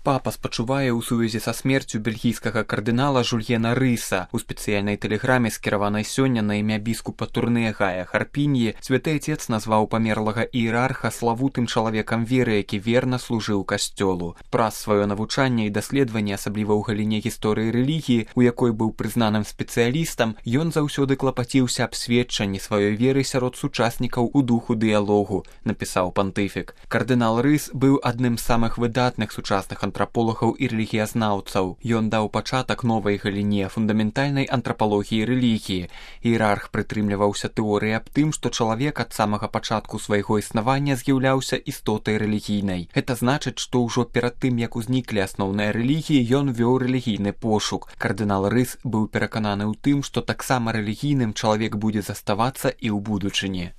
Папа спачувае ў сувязі са смерцю бельгійскага кардынала Жульена Рыса. У спецыяльнай тэлеграме, скіраванай сёння на імя біскупа Турне Гая Харпіньі, святы Отец назваў памерлага іерарха славутым чалавекам веры, які верна служыў касцёлу. Праз сваё навучанне і даследаванне, асабліва ў галіне гісторыі рэлігіі, у якой быў прызнаным спецыялістам, ён заўсёды клапаціўся аб сведчанні сваёй веры сярод сучаснікаў у духу дыялогу, напісаў пантыфік. Кардынал Рыс быў адным з самых выдатных сучасных антраполагаў і рэлігіязнаўцаў. Ён даў пачатак новай галіне фундаментальнай антрапалогіі рэлігіі. Іерарх прытрымліваўся тэорыі аб тым, што чалавек ад самага пачатку свайго існавання з'яўляўся істотай рэлігійнай. Гэта значыць, што ўжо перад тым, як узніклі асноўныя рэлігіі, ён вёў рэлігійны пошук. Кардынал Рыс быў перакананы ў тым, што таксама рэлігійным чалавек будзе заставацца і ў будучыні.